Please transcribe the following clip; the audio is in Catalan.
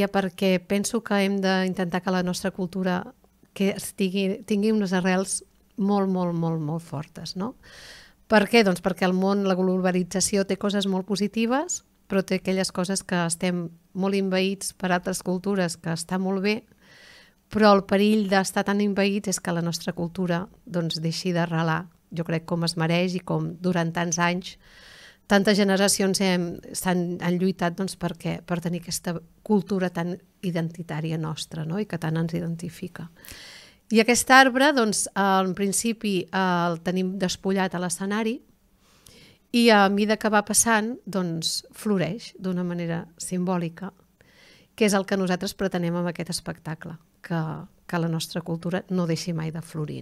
perquè penso que hem d'intentar que la nostra cultura tingui unes arrels molt, molt, molt, molt fortes, no? Per què? Doncs perquè el món, la globalització té coses molt positives, però té aquelles coses que estem molt envaïts per altres cultures, que està molt bé, però el perill d'estar tan envaïts és que la nostra cultura doncs, deixi d'arrelar, jo crec, com es mereix i com durant tants anys tantes generacions han lluitat doncs, per tenir aquesta cultura tan identitària nostra, no? I que tant ens identifica. I aquest arbre, doncs, en principi el tenim despullat a l'escenari i a mesura que va passant, doncs, floreix d'una manera simbòlica, que és el que nosaltres pretenem amb aquest espectacle, que la nostra cultura no deixi mai de florir.